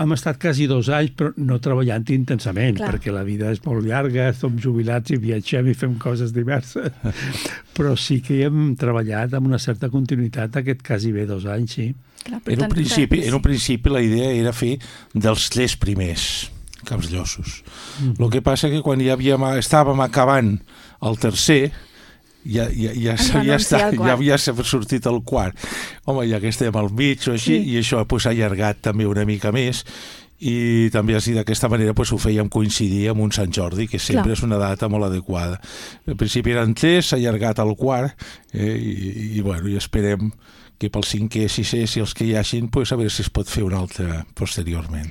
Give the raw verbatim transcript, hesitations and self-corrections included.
hem estat quasi dos anys, però no treballant intensament, Clar. perquè la vida és molt llarga, som jubilats i viatgem i fem coses diverses. Però sí que hem treballat amb una certa continuïtat aquest quasi bé dos anys, sí. Clar, En un, principi, en un principi la idea era fer dels tres primers capsllosos. Mm. El que passa que quan ja havíem, estàvem acabant el tercer, ja, ja, ja, ja, està, ja havia sortit el quart. Home, ja que estem al mig o així, sí. I això pues, ha allargat també una mica més, i també així d'aquesta manera pues, ho fèiem coincidir amb un Sant Jordi, que sempre Clar. És una data molt adequada. Al principi eren tres, s'ha allargat al quart, eh, i, i, bueno, i esperem que pel cinquè, sisè, si els que hi hagin, pues, a veure si es pot fer un altre posteriorment.